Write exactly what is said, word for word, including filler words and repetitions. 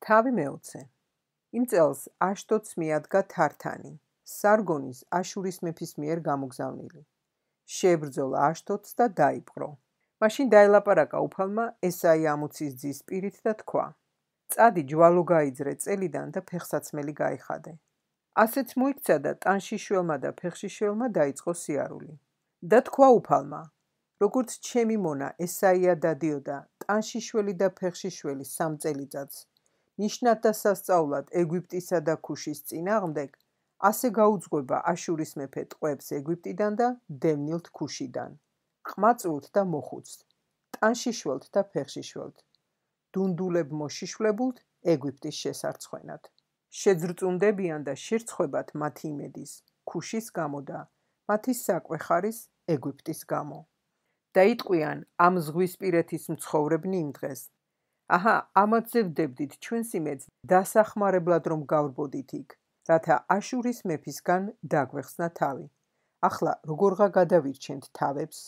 თავი მეოცე. იმ წელს აშტოდს მიადგა თართანი, სარგონის აშურის მეფის მიერ გამოგზავნილი. შეებრძოლა აშტოდს და დაიპყრო. მაშინ დაელაპარაკა უფალმა ესაი ამუცის ძის პირით და თქვა: წადი ჯვალო გაიძრე წელიდან და ფეხსაცმელი გაიხადე. ასეც მოიქცა და ტანშიშველმა და ფეხშიშველმა დაიწყო სიარული. და თქვა უფალმა: როგორც ჩემი მონა ესაია დადიოდა ტანშიშველი და ფეხშიშველი სამ წელიწადს, ნიშნად და სასწაულად ეგვიპტისა და ქუშის წინააღმდეგ, ასე გაუძღვება აშურის მეფე ტყვეებს ეგვიპტიდან და დევნილთ ქუშიდან, ყმაწვილთ და მოხუცთ, ტანშიშველთ და ფეხშიშველთ, დუნდულებ მოშიშვლებულთ ეგვიპტის შესარცხვენად. შეძრწუნდებიან და შერცხვებათ მათი იმედის, ქუშის გამო და მათი საკვე ხარის ეგვიპტის გამო. და იტყვიან ამ ზღვისპირეთის მცხოვრებნი იმ დღეს: აჰა, ამათზე ვდებდით ჩვენს იმედს დასახმარებლად რომ გავრბოდით იქ, რათა აშურის მეფისგან დაგვეხსნა თავი. ახლა როგორღა გადავირჩენთ თავებს?